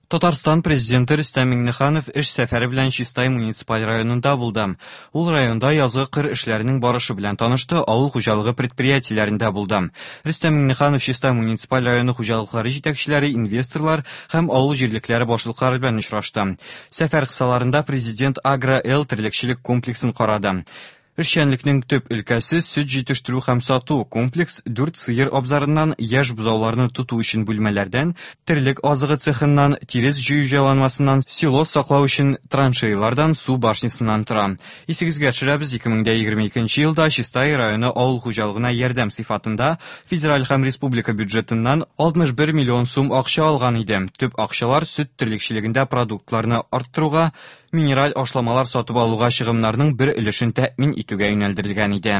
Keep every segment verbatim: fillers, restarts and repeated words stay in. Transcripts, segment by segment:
Татарстан Президенты Рөстәм Миңнеханов эш сәфәре белән Чистай муниципаль районында булды. Ул районда язгы кыр эшләренең барышы белән танышты, авыл хуҗалыгы предприятиеләрендә булды. Рөстәм Миңнеханов Чистай муниципаль районы хуҗалыклары җитәкчеләре, инвесторлар һәм авыл җирлекләре башлыклары белән очрашты. Сәфәр кысаларында президент Агро-Эл терлекчелек комплексын карады. Эшчәнлекнең төп өлкәсе сөт җитештерү һәм сату. Комплекс дүрт сыер абзарыннан, яшь бозауларны тоту өчен бүлмәләрдән, терлек азыгы цехыннан, тирес җыю җайланмасыннан, силос саклау өчен траншеялардан, су башнясыннан тора. Исегезгә төшерәбез, ике мең дә егерме икенче елда Чистай районы авыл хуҗалыгына ярдәм сыйфатында федераль һәм республика бюджетыннан алтмыш бер миллион сум акча алган иде. Төп акчалар сөт терлекчелегендә продуктларны арттыруга, минераль ашламалар сатып алуга чыгымнарның бер өлешен тәэмин итүгә юнәлдерелгән иде.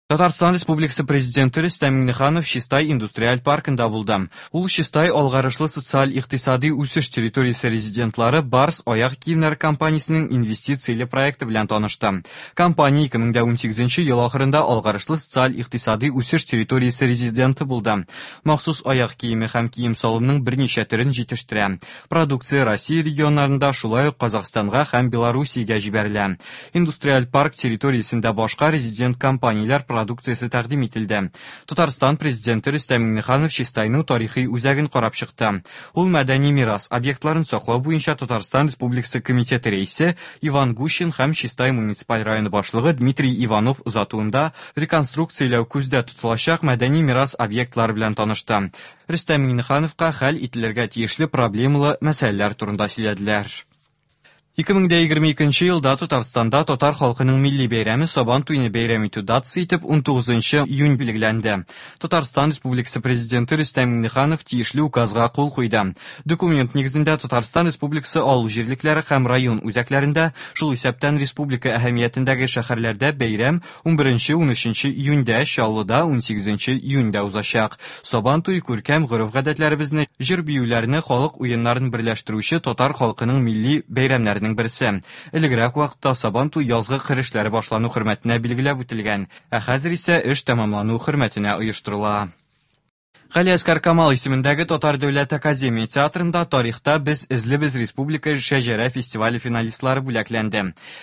Татарстан Республикасы Президенты Рөстәм Миңнеханов Чистай индустриаль паркында булды. Ул Чистай алгарышлы социаль-икътисади үсеш территориясе резидентлары Барс аяк киемнәре компаниясенең инвестицияле проекты белән танышты. Компания ике мең дә унсигезенче ел ахырында алгарышлы социаль-икътисади үсеш территориясе резиденты булды. Махсус аяк киеме һәм кием салымның берничә төрен җитештерә. Продукция Россия регионнарында, шулай ук Казахстанга һәм Белоруссиягә җибәрелә. Индустриаль парк территориясендә башка резидент компанияләр продукциясе тәкъдим ителде. Татарстан Президенты Рөстәм Миңнеханов Чистайның тарихи үзәген карап чыкты. Ул мәдәни мирас объектларын саклау буенча Татарстан Республикасы комитеты рәисе Иван Гущин һәм Чистай муниципаль районы башлыгы Дмитрий Иванов озатуында реконструкцияләү күздә тотылачак мәдәни мирас объектлары белән танышты. Рөстәм Миңнехановка хәл ителергә тиешле проблемалы мәсьәләләр турында сөйләделәр. Ике мең дә егерме икенче елда Татарстанда татар халкының милли бәйрәме Сабан туйны бәйрәм итү датасы итеп унтугызынчы июнь билгеләнде. Татарстан Республикасы Президенты Рөстәм Миңнеханов тиешле указга кул куйды. Документ нигезендә Татарстан Республикасы авыл җирлекләре һәм район үзәкләрендә, шул исәптән республика әһәмиятендәге шәһәрләрдә бәйрәм унберенче унөченче июньдә, Чаллыда унсигезенче июньдә узачак. Сабан туй күркәм гореф-гадәтләребезне, җыр-биюләрне, халык уеннарын берләштерүче татар халкының милли бәйрәмнәренең берсе. Элегрәк вакытта Сабан туй язгы кыр эшләре башлану хөрмәтенә билгеләп үтелгән, ә хәзер исә эш тәмамлану хөрмәтенә оештырыла. Галиәсгар Камал исемендәге Татар дәүләт академия театрында тарихта без эзлебез республика шәҗәрә фестивале финалистлары бүләкләнде.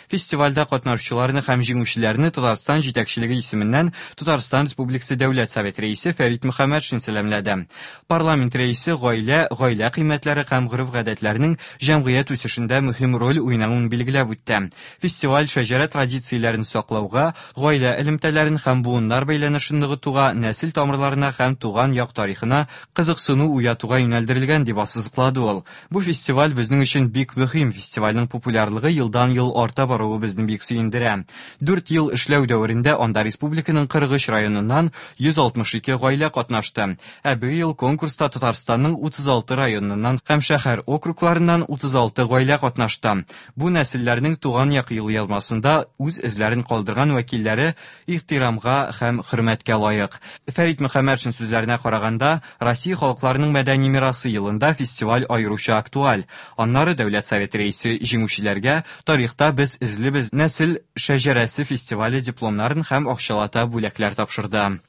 Фестивальдә катнашучыларны һәм җиңүчеләрне Татарстан җитәкчелеге исеменнән Татарстан Республикасы Дәүләт Советы рәисе Фәрит Мөхәммәтшин сәламләде. Парламент рәисе гаилә, гаилә кыйммәтләре һәм гореф-гадәтләрнең җәмгыять үсешендә мөһим роль уйнавын билгеләп үтте. Фестиваль шәҗәрә традицияләрен саклауга, гаилә элемтәләрен һәм буыннар бәйләнешен ныгытуга, нәсел тамырларына һәм туган як тарихына кызыксыну уятуга юнәлдерелгән дип ассызыклады ул. Бу фестиваль безнең өчен бик мөһим. Фестивальнең популярлыгы елдан-ел арта баруы безне бик сөендерә. Дүрт ел эшләү дәверендә анда республиканың кырык өч районыннан йөз алтмыш ике гаилә катнашты. Ә быел конкурста Татарстанның утыз алты районыннан һәм шәһәр округларыннан утыз алты гаилә катнашты. Бу нәселләрнең туган як елъязмасында үз эзләрен калдырган вәкилләре ихтирамга һәм хөрмәткә лаек. Фәрит Мөхәммәтшин сүзләренә караганда, Россия халыкларының мәдәни мирасы елында фестиваль аеруча актуаль. Аннары Дәүләт Советы рәисе җиңүчеләргә тарихта без эзлебез нәсел шәҗәрәсе фестивале дипломнарын һәм акчалата бүләкләр тапшырды.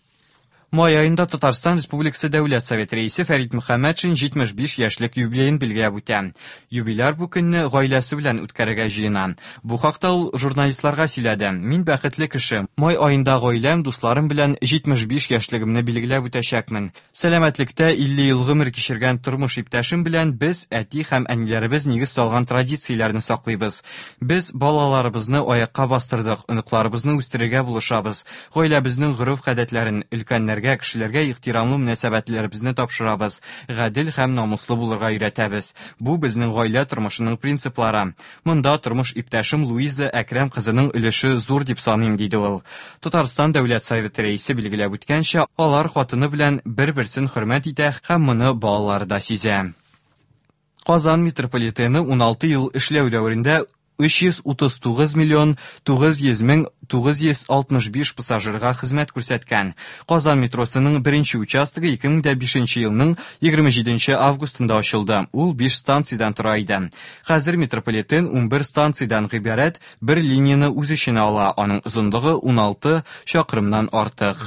Май аенда Татарстан Республикасы Дәүләт Советы рәисе Фәрит Мөхәммәтшин җитмеш биш яшьлек юбилеен билгеләп үтә. Юбиляр бу көнне гаиләсе белән үткәрергә җыена. Бу хакта ул журналистларга сөйләде. Мин бәхетле кеше. Май аенда гаиләм, дусларым белән җитмеш биш яшьлегемне билгеләп үтәчәкмен. Сәламәтлектә илле ел гомер кичергән тормыш иптәшем белән без әти һәм әниләребез нигез салган традицияләрне саклыйбыз. Без балаларыбызны аякка бастырдык, оныкларыбызны үстерергә булышабыз. Гаиләбезнең гореф-гадәтләрен өлкәннәргә, кешеләргә ихтирамлы мөнәсәбәтләребезне тапшырабыз, гадел һәм намуслы булырга өйрәтәбез. Бу безнең гаилә тормышының принциплары. Монда тормыш иптәшем Луиза Әкрәм кызының өлеше зур дип саныйм, диде ул. Татарстан Дәүләт Советы рәисе билгеләп үткәнчә, алар хатыны белән бер-берсен хөрмәт итә һәм моны балалары да сизә. Казан метрополитены уналты ел эшләү дәверендә өч йөз утыз тугыз миллион тугыз йөз мең тугыз йөз алтмыш биш пассажирга хезмәт күрсәткән. Казан метросының беренче участогы ике мең дә бишенче елның егерме җиденче августында ачылды. Ул биш станциядән тора иде. Хәзер метрополитен унбер станциядән гыйбарәт бер линияне үз эченә ала. Аның озынлыгы уналты чакрымнан артык.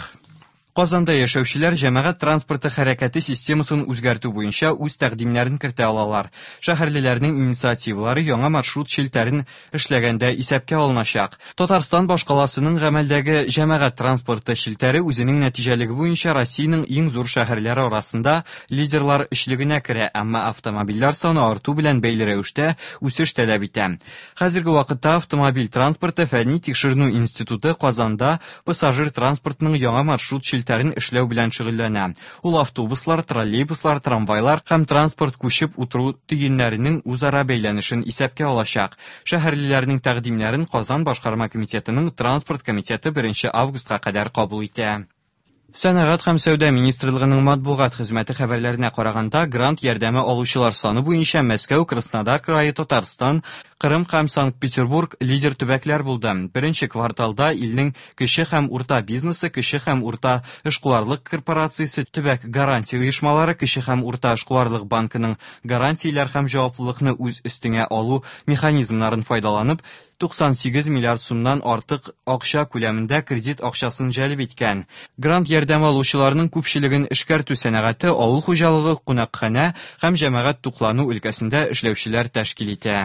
Казанда яшәүчеләр җәмәгать транспорты хәрәкәте системасын үзгәртү буенча үз тәкъдимнәрен кертә алалар. Шәһәрлеләрнең инициативалары яңа маршрут челтәрен эшләгәндә исәпкә алыначак. Татарстан башкаласының гамәлдәге җәмәгать транспорты челтәре үзенең нәтиҗәлеге буенча Россиянең иң зур шәһәрләре арасында лидерлар өчлегенә керә, әмма автомобильләр саны арту белән бәйле рәвештә үсеш таләп итә. Хәзерге вакытта автомобиль транспорты фәнни тикшеренү институты Казанда пассажир транспортының яңа маршрут челтәрен эшләү белән шөгыльләнә. Ул автобуслар, троллейбуслар, трамвайлар һәм транспорт күчеп утыру төеннәренең үзара бәйләнешен исәпкә алачак. Шәһәрлеләрнең тәкъдимнәрен Казан башкарма комитетының транспорт комитеты беренче августка кадәр кабул итә. Сәнәгать һәм сәүдә министрлыгының матбугат хезмәте хәбәрләренә караганда, грант ярдәме алучылар саны буенча Мәскәү, Краснодар крае, Татарстан, Кырым һәм Санкт-Петербург лидер төбәкләр булды. Беренче кварталда илнең кече һәм урта бизнесы, кече һәм урта эшкуарлык корпорациясе, төбәк гарантия оешмалары, кече һәм урта эшкуарлык банкының гарантияләр һәм җаваплылыкны үз өстеңә алу механизмнарын файдаланып, туксан сигез миллиард сумнан артык акча күләмендә кредит акчасын җәлеп иткән. Грант ярдәме алучыларның күпчелеген эшкәртү сәнәгате, авыл хуҗалыгы, кунакханә һәм җәмәгать туклану өлкәсендә эшләүчеләр тәшкил итә.